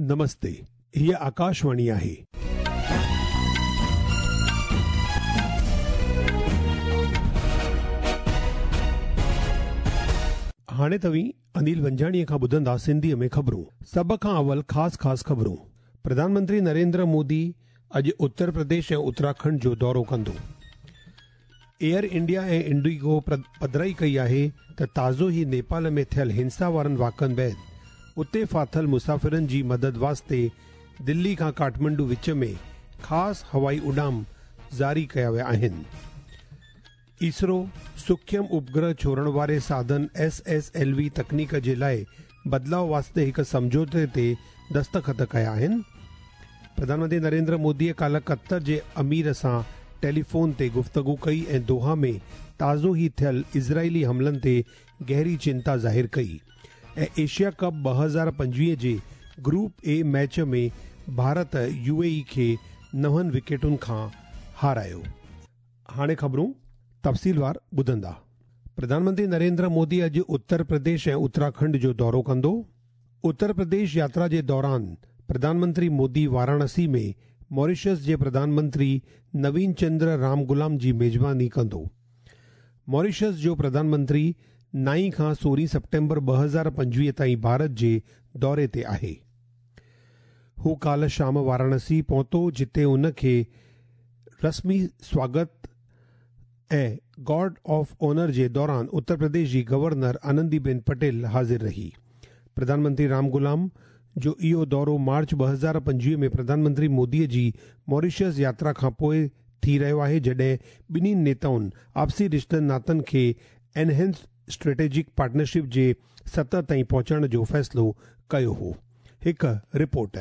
نمستي، هيء آڪاشواڻي آهي. هاڻي توهين انيل ونجاڻيء کان ٻڌندا سنڌيء ۾ خبرون. سڀ کان اول خاص خاص خبرون. پرڌان منتري نريندر مودي اڄ اتر پرديش ۽ اتراکنڊ جو دورو ڪندو. ايئر انڊيا ۽ انڊيگو پڌرائي ڪئي آهي ته تازو ئي نيپال ۾ ٿيل هنسا وارن واقعن بعد اتي ڦاٿل مسافرن جي مدد واسطي دلي کان ڪاٺمنڊو وچ ۾ خاص هوائي اڏام جاري ڪيا ويا آهن. اسرو سوکيم اپگرهه ڇوڙڻ واري ساڌن ايس ايس ايل وي تڪنيڪ جي لاء بدلاء واسطي هڪ سمجهوتي تي دستخط ڪيا آهن. پرڌان منتري نريندر موديء ڪالهه قطر جي امير سان ٽيليفون تي گفتگو ڪئي ۽ دوها ۾ تازو ئي ٿيل اسرائيلي حملن تي گهري چنتا ظاهر ڪئي ۽ ايشيا ڪپ 2025 جي group A match ۾ Bharat U A اي کي نون وڪيٽن کان هارايو. هاڻي خبرون تفصيلوار ٻڌندا. پرڌان منتري نريندر مودي اڄ اتر پرديش ۽ اتراکنڊ جو دورو ڪندو. اتر پرديش ياترا جي دوران پرڌان منتري مودي واراڻسي ۾ ماريشس جي پرڌان منتري نوين چندر رامگلام جي ميزباني ڪندو. ماريشس جو پرڌان منتري 9 کان 16 سيپٽمبر 2025 تائين ڀارت جي دوري تي آهي. هو ڪالهه شام واراڻسي پهتو جتي ان کي رسمي سواگت ۽ گارڊ آف آنر جي دوران اتر پرديش جي گورنر آنندي بين پٽيل حاضر رهي. پرڌان منتري رام غلام جو اهو دورو مارچ 2025 ۾ پرڌان منتري موديء جي ماريشس ياترا کان پوءِ ٿي رهيو آهي، جڏهن ٻنهي نيتائن آپسي رشتن ناتن کي انهينس اسٽريٽجڪ پارٽنرشپ جي سطح تائين پهچائڻ جو فيصلو ڪيو هو. هڪ رپورٽ.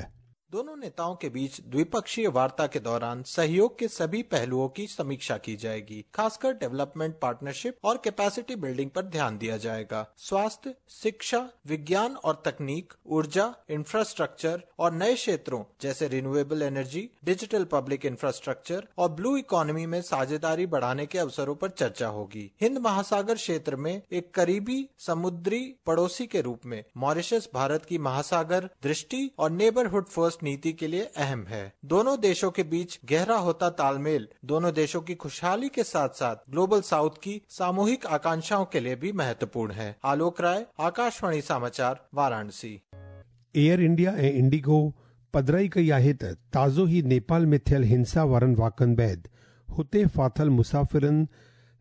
दोनों नेताओं के बीच द्विपक्षीय वार्ता के दौरान सहयोग के सभी पहलुओं की समीक्षा की जाएगी। खासकर डेवलपमेंट पार्टनरशिप और कैपेसिटी बिल्डिंग पर ध्यान दिया जाएगा। स्वास्थ्य, शिक्षा, विज्ञान और तकनीक, ऊर्जा, इंफ्रास्ट्रक्चर और नए क्षेत्रों जैसे renewable energy, digital public infrastructure और ब्लू इकोनॉमी में साझेदारी बढ़ाने के अवसरों पर चर्चा होगी। हिंद महासागर क्षेत्र में एक करीबी समुद्री पड़ोसी के रूप में मॉरिशस भारत की महासागर दृष्टि और नेबरहुड फर्स्ट नीति के लिए अहम है। दोनों देशों के बीच गहरा होता तालमेल दोनों देशों की खुशहाली के साथ साथ ग्लोबल साउथ की सामूहिक आकांक्षाओं के लिए भी महत्वपूर्ण है। आलोक राय, आकाशवाणी समाचार, वाराणसी। एयर इंडिया ऐं इंडिगो पधराई कई आहे त ताज़ो ई नेपाल में थियल हिंसा वारनि वाक़नि बाद हुते फाथल मुसाफ़िरनि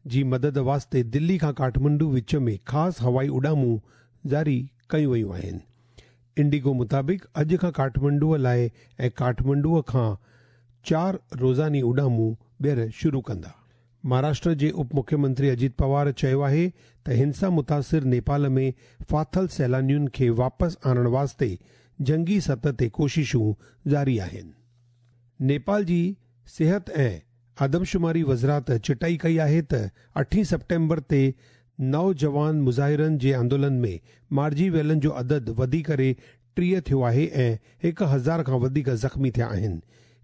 जी मदद वास्ते दिल्ली खां काठमांडू विच में ख़ासि हवाई उॾामूं जारी कयूं वयूं आहिनि। इंडिगो मुताबिक़ अॼु खां काठमांडूअ लाइ ऐं काठमांडूअ खां 4 रोज़ानी उॾामूं ॿीहर शुरू कंदा। महाराष्ट्र जे उप मुख्यमंत्री अजीत पवार चयो आहे त हिंसा मुतासिर नेपाल में फाथल सैलानियुनि खे वापसि आणण वास्ते जंगी सतह ते कोशिशूं जारी आहिनि। नेपाल जी सिहत ऐं आदमशुमारी वज़ारत चिटाई कई आहे त 8 सेप्टेम्बर ते नौजवान मुज़ाहिरनि जे आंदोलन में मारिजी वियलनि जो अदद वधी करे 30 थियो आहे ऐं 1000 खां वधीक ज़ख़्मी थिया आहिनि।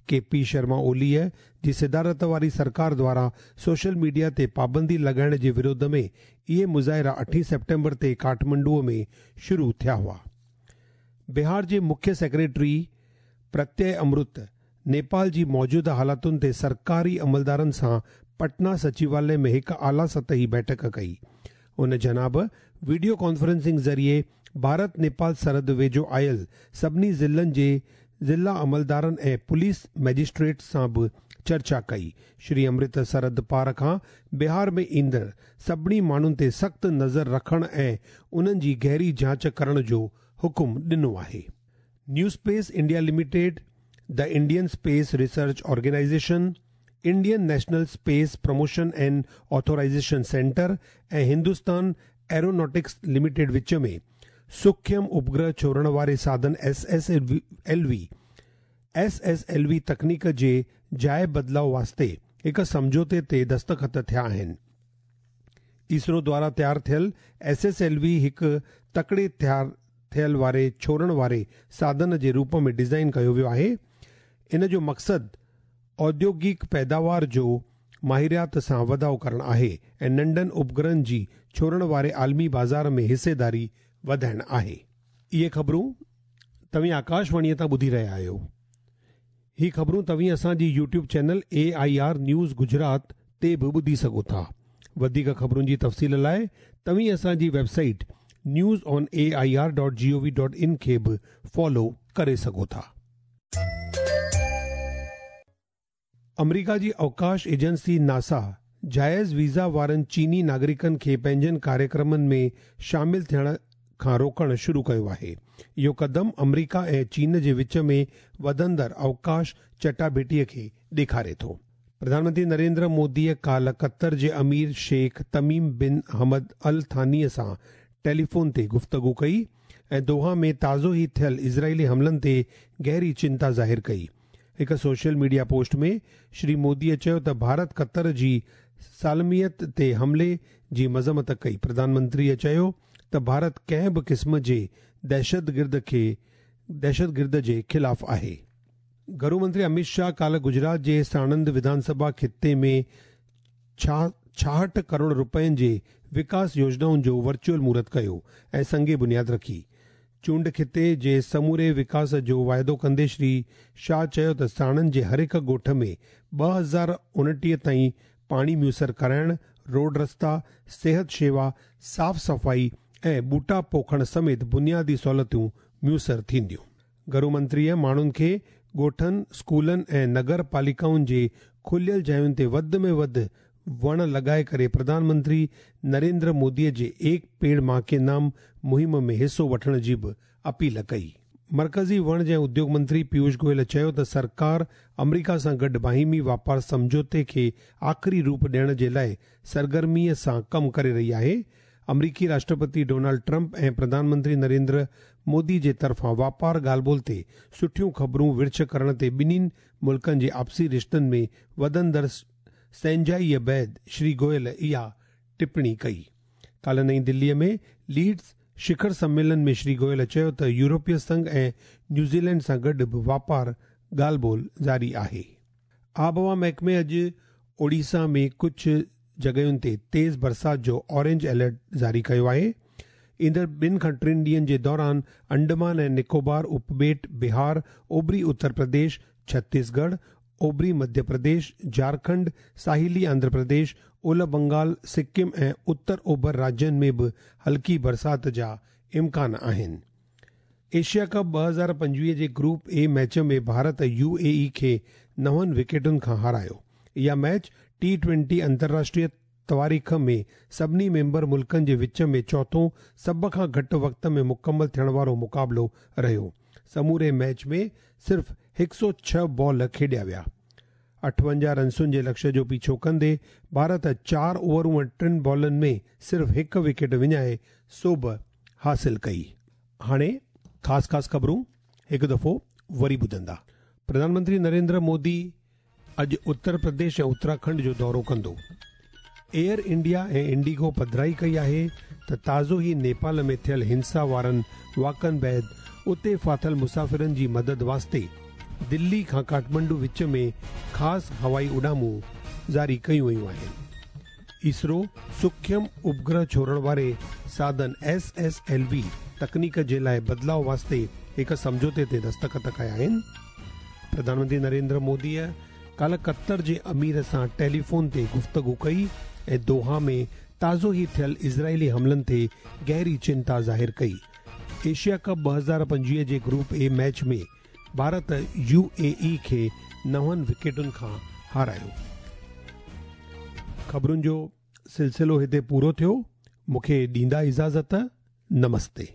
के पी शर्मा ओलीअ जी सदारत वारी सरकार द्वारा सोशल मीडिया ते पाबंदी लॻाइण जे विरोध में इहे मुज़ाहिरा 8 सेप्टेम्बर ते काठमांडूअ में शुरू थिया हुआ। बिहार जे मुख्य सेक्रेटरी प्रत्यय अमृत नेपाल जी मौजूदा हालातुनि ते सरकारी अमलदारनि सां पटना सचिवालय में हिकु आला सतही बैठक कई। उन जनाब वीडियो कॉन्फ्रेंसिंग ज़रिए भारत नेपाल सरहद वेझो आयल सभिनी ज़िलनि जे ज़िला अमलदारनि ऐं पुलिस मैजिस्ट्रेट सां बि चर्चा कई। श्री अमृत सरहद पार खां बिहार में ईंदड़ सभिनी माण्हुनि ते सख़्तु नज़र रखण ऐं उन्हनि जी गहरी जांच करण जो हुकुम ॾिनो आहे। New Space India Limited, the Indian Space Research Organisation, Indian National Space Promotion and Authorisation Centre ऐं हिंदुस्तान एरोनॉटिक्स लिमिटेड विच में सूक्ष्म उपग्रह छोड़ण वारे साधन एस एस एल वी तकनीक जे जाइ बदिलाव वास्ते हिकु सम्झौते ते दस्तख़त थिया आहिनि। इसरो द्वारा तयार थियल एस एस एल वी हिकु तकड़े तयार थियल वारे छोड़ण वारे साधन जे रूप में डिज़ाइन कयो वियो आहे। इन जो मक़सदु औद्योगिक पैदावार जो माहिरियात सां वधाव करणु आहे ऐं नंढनि उपग्रहनि जी छोड़ण वारे आलमी बाज़ार में हिस्सेदारी वधाइणु आहे। इहे ख़बरूं توهين آڪاشواڻيء تان ٻڌي رهيا آهيو. هي خبرون توهين اسان جي YouTube channel A I R news Gujarat تي به ٻڌي سگهو ٿا. وڌيڪ خبرن جي تفصيل لاء توهين اسان جي website news on A I R dot G O V dot in کي به فالو ڪري سگهو ٿا. آمريڪا جي اوڪاش ايجنسي ناسا جائز ويزا وارن چيني ناگرڪن کي پنهنجن ڪاريڪرمن ۾ شامل ٿيڻ کان روڪڻ شروع ڪيو آهي. اهو قدم آمريڪا ۽ چين جي وچ ۾ وڌندڙ اوڪاش چٽاڀيٽيء کي ڏيکاري ٿو. پرڌان منتري نريندر موديء ڪالهه قطر جي امير شيخ تميم بن حمد ال ثانيء سان ٽيليفون تي گفتگو ڪئي ۽ دوحا ۾ تازو ئي ٿيل اسرائيلي حملن تي گهري چنتا ظاهر ڪئي. هڪ سوشل ميڊيا پوسٽ ۾ شري موديء چيو ته ڀارت قطر جي سالميت تي حملي جي مذمت ڪئي. پرڌان منتريء چيو ته ڀارت ڪنهن به قسم جي دهشتگرد کي دهشتگرد جي خلاف آهي. گهرو منتري اميت شاهه ڪالهه گجرات جي ساڻند وڌان سڀا خطي ۾ 66 ڪروڙ رپين جي وڪاس يوجنائن جو ورچوئل مهورت ڪيو ۽ سنگ بنياد رکي. چونڊ خطي جي سموري وڪاس جو واعدو ڪندي شري شاهه چيو ته ساڻند جي هر هڪ ڳوٺ ۾ 2029 تائين پاڻي ميسر ڪرائڻ، روڊ رستا، صحت شيوا، صاف صفائي ۽ ٻوٽا پوکڻ سميت بنيادي سهولتون ميسر ٿينديون. گهرو منتريء ماڻهن کي ڳوٺن، اسڪولن ۽ نگر پاليڪائن جي کليل جاين تي وڌ ۾ وڌ وڻ لڳائي ڪري پرڌان منتري نريندر موديء جي ايڪ پيڙ مان ڪي نام مهم ۾ حصو وٺڻ جي به اپيل ڪئي. مرڪزي وڻج ۽ اديوگ منتري پيوش گويل چيو ته سرڪار آمريڪا سان گڏ باهمي واپار سمجهوتي کي آخري روپ ڏيڻ جي لاء سرگرميء سان ڪم ڪري رهي آهي. آمريڪي راشٽرپتي ڊونلڊ ٽرمپ ۽ پرڌان منتري نريندر مودي جي طرفان واپار ڳالهه ٻولهه تي سٺيون خبرون ورڇ ڪرڻ تي ٻنهين ملڪن جي آپسي رشتن ۾ وڌندڙ سهنجائيء بعد شري گويل اها ٽپڻي ڪئي. ڪالهه نئين دليء ۾ ليڊز شکر سميلن ۾ شري گويل چيو ته يورپي سنگهه ۽ نيوزيلينڊ سان گڏ به واپار ڳالهه ٻولهه جاري آهي. آبهوا محڪمي اڄ اوڙيسا ۾ ڪجهه جڳهين تي تيز برسات جو اورينج الرٽ جاري ڪيو آهي. ايندڙ ٻن کان ٽن ڏينهن جي دوران انڊمان ۽ نڪوبار اپٻيٽ، بهار، اوڀري اتر پرديش، ڇتيسڳڙهه، اوڀري مڌيه پرديش، جهارکنڊ، ساحلي آنڌرا پرديش، اولهه بنگال، سڪم ۽ اتر اوڀر راجين ۾ به هلڪي برسات جا امڪان آهن. ايشيا ڪپ 2025 جي group A match ۾ Bharat U A E کي نون وڪيٽن کان هارايو. اها ميچ ٽي ٽوئنٽي انترراشٽريه تواريخ ۾ سڀني ميمبر ملڪن جي وچ ۾ چوٿون سڀ کان گهٽ وقت ۾ مڪمل ٿيڻ وارو مقابلو رهيو. سموري ميچ ۾ صرف 106 بال کيڏيا ويا. 58 رنسن جي لڪشيه جو پيڇو ڪندي ڀارت چار اوورون ۽ ٽن بالن ۾ صرف هڪ وڪيٽ وڃائي سوڀ حاصل ڪئي. هاڻي خاص خاص خبرون هڪ دفعو وري ٻڌندا. پرڌان منتري نريندر مودي اڄ اتر پرديش ۽ اتراکنڊ جو دورو ڪندو. ايئر انڊيا ۽ انڊيگو پڌرائي ڪئي آهي ته تازو ئي نيپال ۾ ٿيل هنسا وارن واقعن بعد اتي ڦاٿل مسافرن جي مدد واسطي دلي کان ڪاٺمنڊو وچ ۾ خاص هوائي اڏامون جاري ڪيون ويون آهن. اسرو سوکيم اپگرهه ڇوڙڻ واري ساڌن ايس ايس ايل وي تڪنيڪ جي لاء بدلاء واسطي هڪ سمجهوتي تي دستخط ڪيا آهن. پرڌان منتري نريندر موديء ڪالهه قطر جي امير سان ٽيليفون تي گفتگو ڪئي ۽ دوحا ۾ تازو ئي ٿيل اسرائيلي حملن تي گهري چنتا ظاهر ڪئي. ايشيا ڪپ 2025 جي group A match ۾ Bharat U A E کي نون وڪيٽن کان هارايو. خبرن جو سلسلو هتي پورو ٿيو. مون کي ڏيندا اجازت. نمستي.